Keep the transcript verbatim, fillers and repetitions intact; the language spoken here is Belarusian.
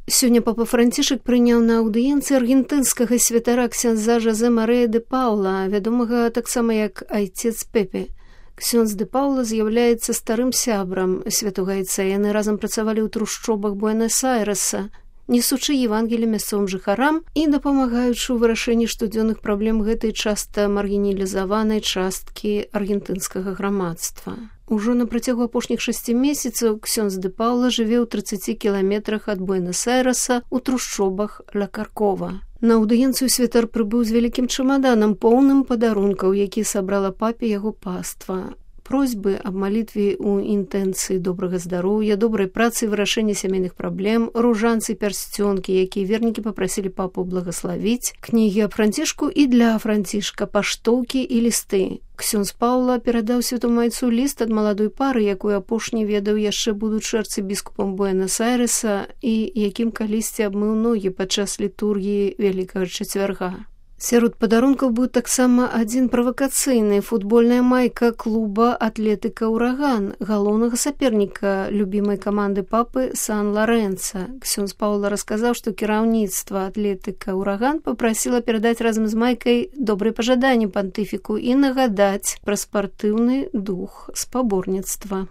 Сёння папа Францішак прыняў на аўдыенцыі аргентынскага святара ксяндза Жозе Марэя де Паула, вядомага таксама як айцец Пепе. Ксёндз де Паула з'яўляецца старым сябрам святога айца. Яны разам працавалі ў трушчобах Буэнас-Айрэса, несучы Евангелі мясцовым жыхарам і дапамагаючы ў вырашэнні штодзённых праблем гэтай часта маргіналізаванай часткі аргентынскага грамадства. Ужо на працягу апошніх шасці месяцаў ксёндз де Паула жыве ў трыццаці кіламетрах ад Буэнас-Айрэса ў трушчобах Ла Каркова. На аўдыенцыю святар прыбыў з вялікім чамаданам, поўным падарункаў, які сабрала папе яго паства. Просьбы аб малітве ў інтэнцыі добрага здароўя, добрай працы, вырашэння сямейных праблем, ружанцы, пярсцёнкі, якія вернікі папрасілі папу благаславіць, кнігі аб Францішку і для Францішка, паштоўкі і лісты. Ксёндз Паўла перадаў святому айцу ліст ад маладой пары, якую апошні ведаў яшчэ будучы арцыбіскупам Буэнас-Айрэса і якім калісьці абмыў ногі падчас літургіі Вялікага чацвярга. Сярод падарункаў быў таксама адзін правакацыйны, футбольная майка клуба «Атлетыка Ураган», галоўнага саперніка любімай каманды папы Сан-Ларэнца. Ксёндз Паўла расказаў, што кіраўніцтва «Атлетыка Ураган» папрасіла перадаць разам з майкай добрыя пажаданні пантыфіку і нагадаць пра спартыўны дух спаборніцтва.